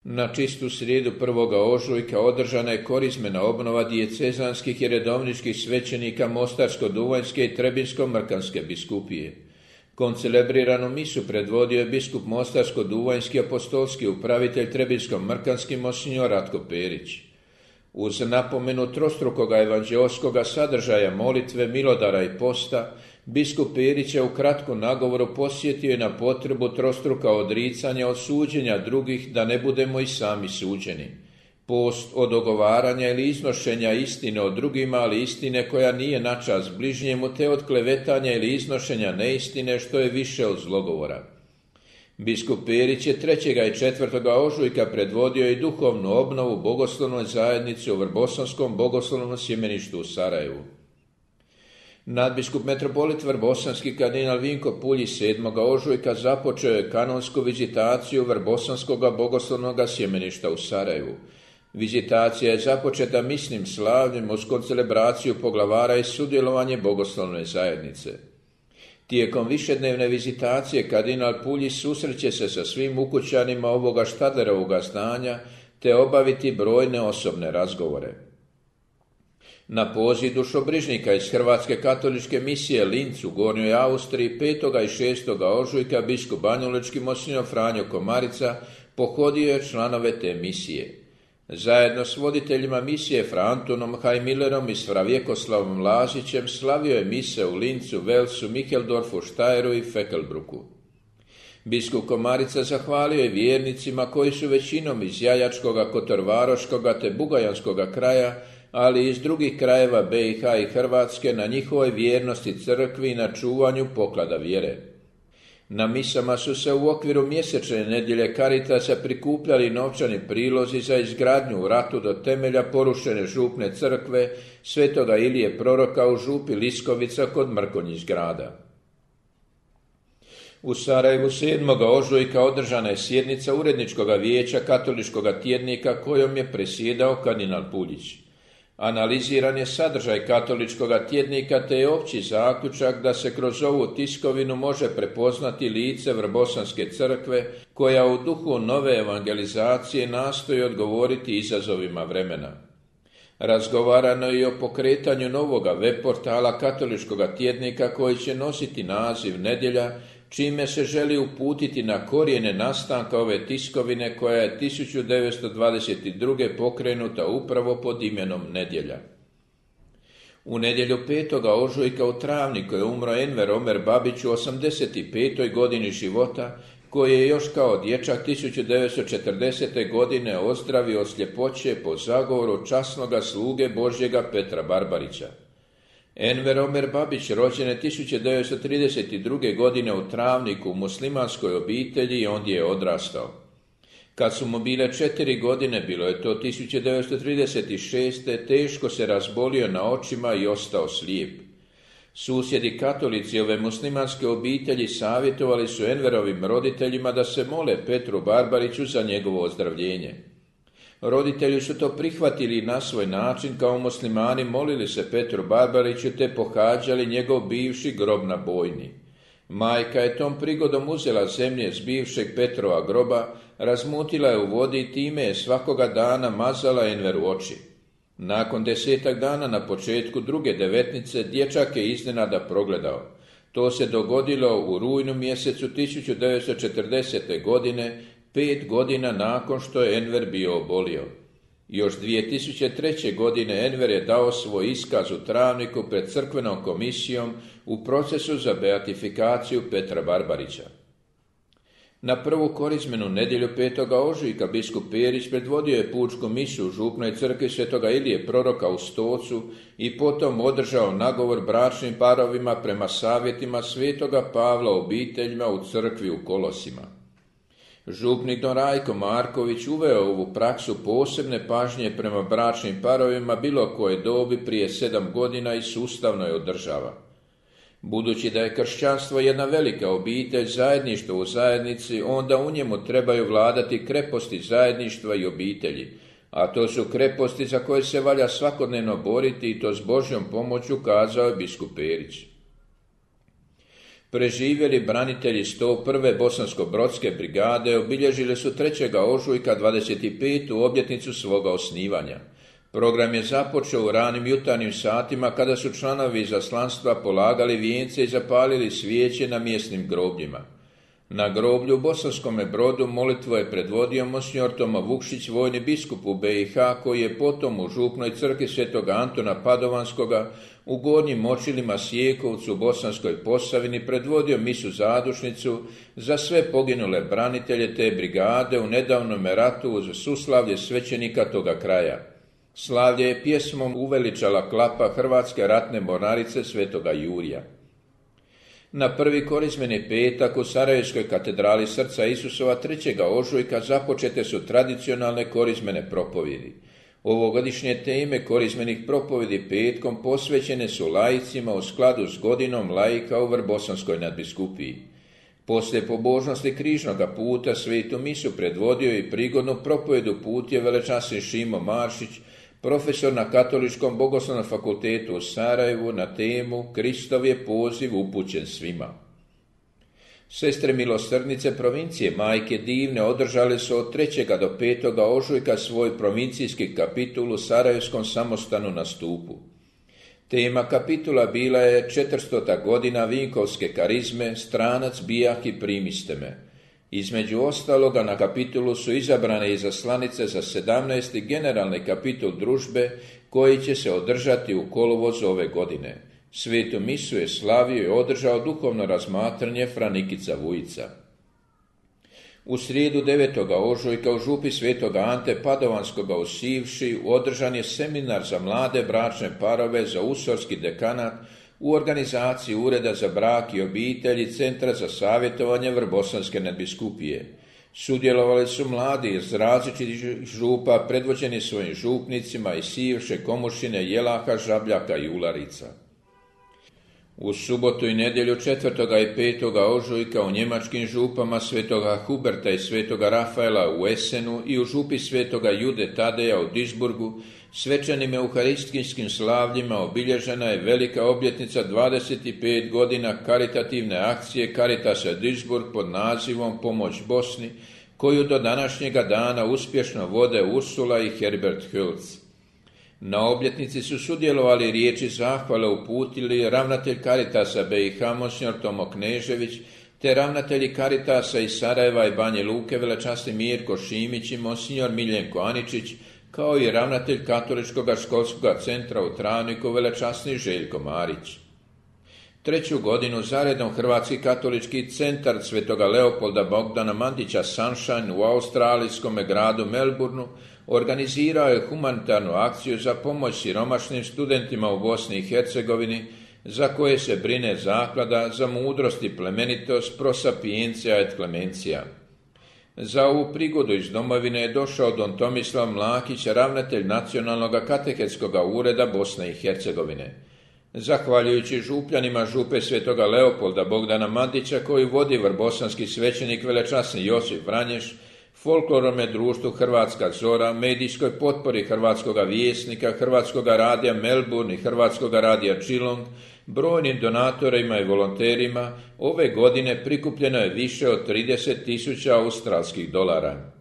Na čistu srijedu 1. ožujka održana je korizmena obnova dijecezanskih i redovničkih svećenika Mostarsko-Duvanjske i Trebinsko-Mrkanske biskupije. Koncelebriranu misu predvodio je biskup Mostarsko-Duvanjski apostolski upravitelj Trebinsko-Mrkanski monsignor Ratko Perić. Uz napomenu trostrukoga evanđeoskoga sadržaja molitve, milodara i posta, biskup Perić je u kratkom nagovoru posjetio je na potrebu trostruka odricanja od suđenja drugih, da ne budemo i sami suđeni. Post od ogovaranja ili iznošenja istine o drugima, ali istine koja nije na čast bližnjemu, te od klevetanja ili iznošenja neistine, što je više od zlogovora. Biskup Perić je 3. i 4. ožujka predvodio i duhovnu obnovu bogoslovnoj zajednici u Vrbosanskom bogoslovnom sjemeništu u Sarajevu. Nadbiskup metropolit Vrbosanski kardinal Vinko Puljić 7. ožujka započeo je kanonsku vizitaciju Vrbosanskog bogoslovnog sjemeništa u Sarajevu. Vizitacija je započeta misnim slavljem uz koncelebraciju poglavara i sudjelovanje bogoslovne zajednice. Tijekom višednevne vizitacije kardinal Puljić susreće se sa svim ukućanima ovoga Štadlerovoga zdanja te obaviti brojne osobne razgovore. Na poziv dušobrižnika iz Hrvatske katoličke misije Linz u Gornjoj Austriji 5. i 6. ožujka biskup banjalučki monsignor Franjo Komarica pohodio je članove te misije. Zajedno s voditeljima misije Fra Antonom Hajmillerom i s Fra Vjekoslavom Lazićem slavio je mise u Lincu, Velsu, Micheldorfu, Štajeru i Fekelbruku. Biskup Komarica zahvalio je vjernicima koji su većinom iz Jajačkoga, Kotorvaroškoga te Bugajanskoga kraja, ali i iz drugih krajeva BiH i Hrvatske na njihovoj vjernosti crkvi i na čuvanju poklada vjere. Na misama su se u okviru mjesečne nedjelje Caritasa prikupljali novčani prilozi za izgradnju u ratu do temelja porušene župne crkve Svetoga Ilije proroka u župi Liskovica kod Mrkonjić grada. U Sarajevu 7. ožujka održana je sjednica uredničkog vijeća katoličkog tjednika kojom je presjedao kardinal Puljić. Analiziran je sadržaj katoličkog tjednika te je opći zaključak da se kroz ovu tiskovinu može prepoznati lice Vrbosanske crkve koja u duhu nove evangelizacije nastoji odgovoriti izazovima vremena. Razgovarano je i o pokretanju novoga web portala katoličkog tjednika koji će nositi naziv Nedjelja, čime se želi uputiti na korijene nastanka ove tiskovine koja je 1922. pokrenuta upravo pod imenom Nedjelja. U nedjelju 5. ožujka u Travniku je umro Enver Omer Babić u 85. godini života, koji je još kao dječak 1940. godine ozdravio od sljepoće po zagovoru časnoga sluge Božjega Petra Barbarića. Enver Omer Babić rođen je 1932. godine u Travniku u muslimanskoj obitelji i ondje je odrastao. Kad su mu bile 4 godine, bilo je to 1936. teško se razbolio na očima i ostao slijep. Susjedi katolici ove muslimanske obitelji savjetovali su Enverovim roditeljima da se mole Petru Barbariću za njegovo ozdravljenje. Roditelji su to prihvatili na svoj način, kao muslimani molili se Petru Barbariću te pohađali njegov bivši grob na Bojni. Majka je tom prigodom uzela zemlje s bivšeg Petrova groba, razmutila je u vodi i time je svakoga dana mazala Enveru oči. Nakon 10 dana na početku druge devetnice dječak je iznenada progledao. To se dogodilo u rujnu mjesecu 1940. godine, 5 godina nakon što je Enver bio obolio. Još 2003. godine Enver je dao svoj iskaz u Travniku pred crkvenom komisijom u procesu za beatifikaciju Petra Barbarića. Na prvu korizmenu nedjelju 5. ožujka biskup Perić predvodio je pučku misu u župnoj crkvi Svetoga Ilije proroka u Stocu i potom održao nagovor bračnim parovima prema savjetima Svetoga Pavla obiteljima u crkvi u Kolosima. Župnik don Rajko Marković uveo ovu praksu posebne pažnje prema bračnim parovima bilo koje dobi prije 7 godina i sustavno je održava. Budući da je kršćanstvo jedna velika obitelj, zajedništvo u zajednici, onda u njemu trebaju vladati kreposti zajedništva i obitelji, a to su kreposti za koje se valja svakodnevno boriti i to s Božjom pomoću, kazao je biskup Perić. Preživjeli branitelji 101. Bosansko-brodske brigade obilježili su 3. ožujka 25. obljetnicu svoga osnivanja. Program je započeo u ranim jutarnjim satima kada su članovi izaslanstva polagali vijence i zapalili svijeće na mjesnim grobljima. Na groblju u Bosanskome Brodu molitvu je predvodio monsignor Tomo Vukšić, vojni biskup u BiH, koji je potom u župnoj crkvi Svetog Antuna Padovanskoga u Gornjim Močilima Sjekovcu u Bosanskoj Posavini predvodio misu zadušnicu za sve poginule branitelje te brigade u nedavnome ratu uz suslavlje svećenika toga kraja. Slavlje je pjesmom uveličala klapa Hrvatske ratne mornarice Svetoga Jurija. Na prvi korizmeni petak u Sarajevskoj katedrali Srca Isusova 3. ožujka započete su tradicionalne korizmene propovjedi. Ovogodišnje teme korizmenih propovjedi petkom posvećene su laicima u skladu s godinom laika u Vrbosanskoj nadbiskupiji. Poslije pobožnosti križnoga puta svetu misu predvodio i prigodnu propovjedu putje velečasni Šimo Maršić, profesor na Katoličkom bogoslovnom fakultetu u Sarajevu, na temu Kristov je poziv upućen svima. Sestre milosrdnice provincije Majke Divne održale su od 3. do 5. ožujka svoj provincijski kapitul u Sarajevskom samostanu na Stupu. Tema kapitula bila je 400. godina Vinkovske karizme, stranac bijah i primiste me. Između ostaloga na kapitulu su izabrane izaslanice za 17. generalni kapitul družbe koji će se održati u kolovozu ove godine. Svetu misu je slavio i održao duhovno razmatranje fra Nikica Vujica. U srijedu 9. ožujka u župi Svetog Ante Padovanskoga u Sivši održan je seminar za mlade bračne parove za usorski dekanat u organizaciji Ureda za brak i obitelj i Centra za savjetovanje Vrbosanske nadbiskupije. Sudjelovali su mladi iz različitih župa predvođeni svojim župnicima iz Sivše, Komušine, Jelaha, Žabljaka i Ularica. U subotu i nedjelju 4. i 5. ožujka u njemačkim župama Svetoga Huberta i Svetoga Rafaela u Esenu i u župi Svetoga Jude Tadeja u Duisburgu svečanim euharistijskim slavljima obilježena je velika obljetnica 25 godina karitativne akcije Caritasa Duisburg pod nazivom Pomoć Bosni, koju do današnjega dana uspješno vode Ursula i Herbert Hülz. Na obljetnici su sudjelovali riječi zahvale uputili ravnatelj Caritasa BiH monsignor Tomo Knežević, te ravnatelji Caritasa iz Sarajeva i Banje Luke velečasni Mirko Šimić i monsignor Miljenko Aničić, kao i ravnatelj Katoličkog školskog centra u Travniku velečasni Željko Marić. 3. godinu zaredom Hrvatski katolički centar Svetoga Leopolda Bogdana Mandića Sunshine u australijskom gradu Melbourneu organizirao je humanitarnu akciju za pomoć siromašnim studentima u Bosni i Hercegovini, za koje se brine zaklada za mudrost i plemenitost Pro Sapientia et Clementia. Za ovu prigodu iz domovine je došao don Tomislav Mlakić, ravnatelj Nacionalnog katehetskog ureda Bosne i Hercegovine. Zahvaljujući župljanima župe Svetoga Leopolda Bogdana Mandića, koji vodi vrbosanski svećenik velečasni Josip Vranješ, folklorome društvu Hrvatska Zora, medijskoj potpori Hrvatskoga Vjesnika, Hrvatskoga radija Melbourne i Hrvatskoga radija Geelong, brojnim donatorima i volonterima, ove godine prikupljeno je više od 30.000 australskih dolara.